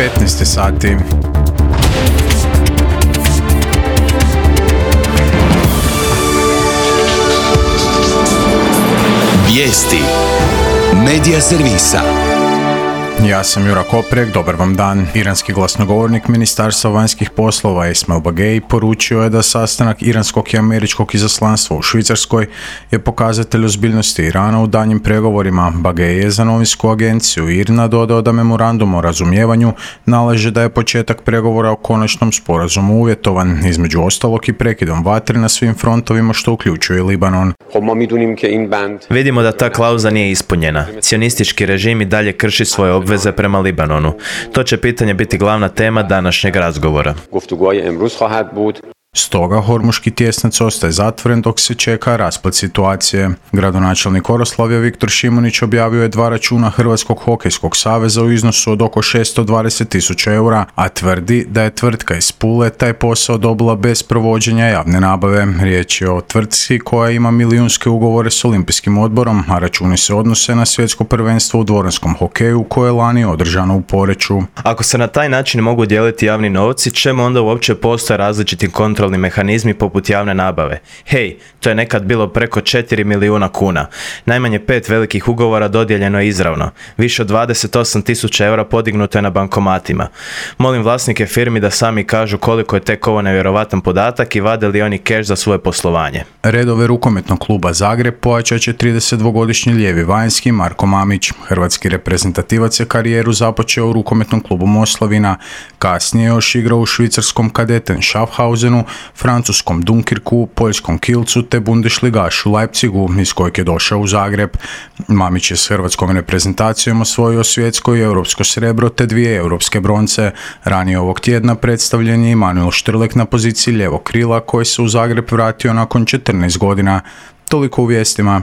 15 sati. Vijesti Medija servisa. Ja sam Jura Koprek, dobar vam dan. Iranski glasnogovornik Ministarstva vanjskih poslova Esmail Bagej poručio je da sastanak iranskog i američkog izaslanstva u Švicarskoj je pokazatelj ozbiljnosti Irana u daljnjim pregovorima. Bagej je za novinsku agenciju IRNA dodao da memorandum o razumijevanju nalaže da je početak pregovora o konačnom sporazumu uvjetovan, između ostalog i prekidom vatre na svim frontovima, što uključuje Libanon. Vidimo da ta klauza nije ispunjena. Cionistički režim i dalje krši svoje obveze prema Libanonu. To će pitanje biti glavna tema današnjeg razgovora. Stoga Hormuški tjesnac ostaje zatvoren dok se čeka rasplet situacije. Gradonačelnik Oroslavlja Viktor Šimunić objavio je 2 računa Hrvatskog hokejskog saveza u iznosu od oko 620.000 eura, a tvrdi da je tvrtka iz Pule taj posao dobila bez provođenja javne nabave. Riječ je o tvrtci koja ima milijunske ugovore s Olimpijskim odborom, a računi se odnose na svjetsko prvenstvo u dvoranskom hokeju koje je lani održano u Poreču. Ako se na taj način mogu dijeliti javni novci, čemu onda uopće postoje različiti kontrolni mehanizmi poput javne nabave? Hej, to je nekad bilo preko 4 milijuna kuna. Najmanje 5 velikih ugovora dodijeljeno je izravno. Više od 28.000 eura podignuto je na bankomatima. Molim vlasnike firmi da sami kažu koliko je tek ovo nevjerovatan podatak i vade li oni keš za svoje poslovanje. Redove rukometnog kluba Zagreb pojačat će 32-godišnji lijevi vanjski Marko Mamić. Hrvatski reprezentativac je karijeru započeo u rukometnom klubu Moslavina. Kasnije je još igrao u švicarskom Kadeten Schaffhausenu, francuskom Dunkirku, poljskom Kielcu te Bundesligašu Leipzigu, iz kojeg je došao u Zagreb. Mamić je s hrvatskom reprezentacijom osvojio svjetsko i europsko srebro te 2 europske bronce. Ranije ovog tjedna predstavljen je Emanuel Štrlek na poziciji lijevog krila koji se u Zagreb vratio nakon 14 godina. Toliko u vijestima.